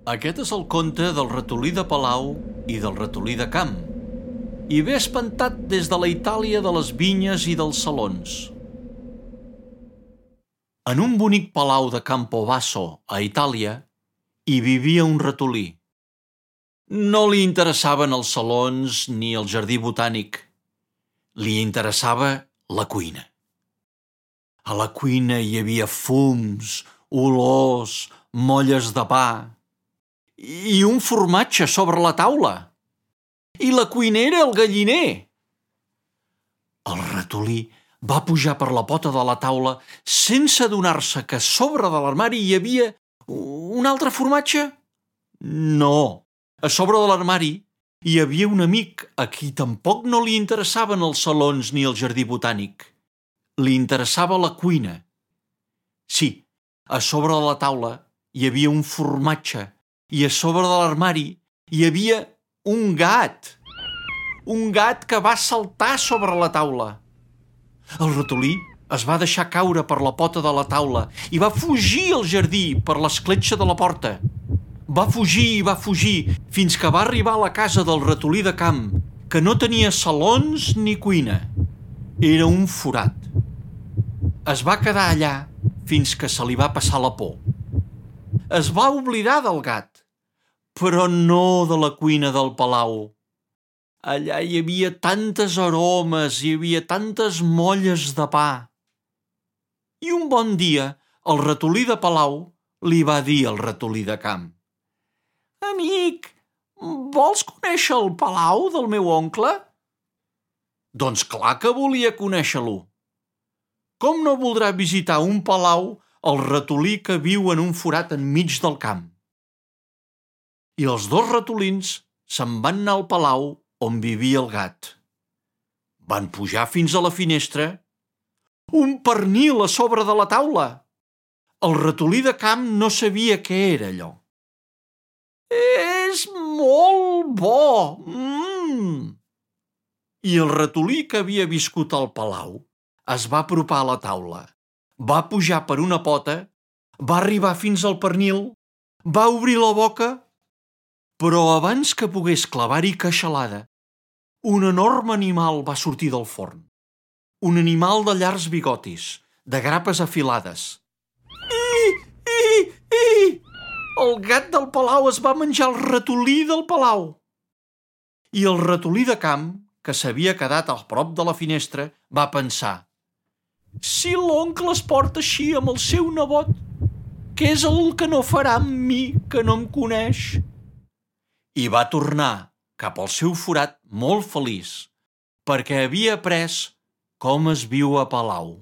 Aquest és el conte del ratolí de palau i del ratolí de camp, i ve espantat des de la Itàlia de les vinyes i dels salons. En un bonic palau de Campobasso, a Itàlia, hi vivia un ratolí. No li interessaven els salons ni el jardí botànic. Li interessava la cuina. A la cuina hi havia fums, olors, molles de pa i un formatge sobre la taula. I la cuinera el galliner. El ratolí va pujar per la pota de la taula sense adonar-se que a sobre de l'armari hi havia un altre formatge? No, a sobre de l'armari hi havia un amic a qui tampoc no li interessaven els salons ni el jardí botànic. Li interessava la cuina. Sí, a sobre de la taula hi havia un formatge i a sobre de l'armari hi havia un gat. Un gat que va saltar sobre la taula. El ratolí es va deixar caure per la pota de la taula i va fugir al jardí per l'escletxa de la porta. Va fugir i va fugir fins que va arribar a la casa del ratolí de camp, que no tenia salons ni cuina. Era un forat. Es va quedar allà fins que se li va passar la por. Es va oblidar del gat, però no de la cuina del palau. Allà hi havia tantes aromes, hi havia tantes molles de pa. I un bon dia, el ratolí de palau li va dir al ratolí de camp: «Amic, vols conèixer el palau del meu oncle?» Doncs clar que volia conèixer-lo. Com no voldrà visitar un palau el ratolí que viu en un forat enmig del camp? I els dos ratolins se'n van anar al palau on vivia el gat. Van pujar fins a la finestra. Un pernil a sobre de la taula. El ratolí de camp no sabia què era allò. «És molt bo! I el ratolí que havia viscut al palau es va apropar a la taula, va pujar per una pota, va arribar fins al pernil, va obrir la boca, però abans que pogués clavar-hi queixalada, un enorme animal va sortir del forn. Un animal de llargs bigotis, de grapes afilades. El gat del palau es va menjar el ratolí del palau. I el ratolí de camp, que s'havia quedat a prop de la finestra, va pensar: si l'oncle es porta així amb el seu nebot, què és el que no farà amb mi, que no em coneix? I va tornar cap al seu forat molt feliç, perquè havia après com es viu a palau.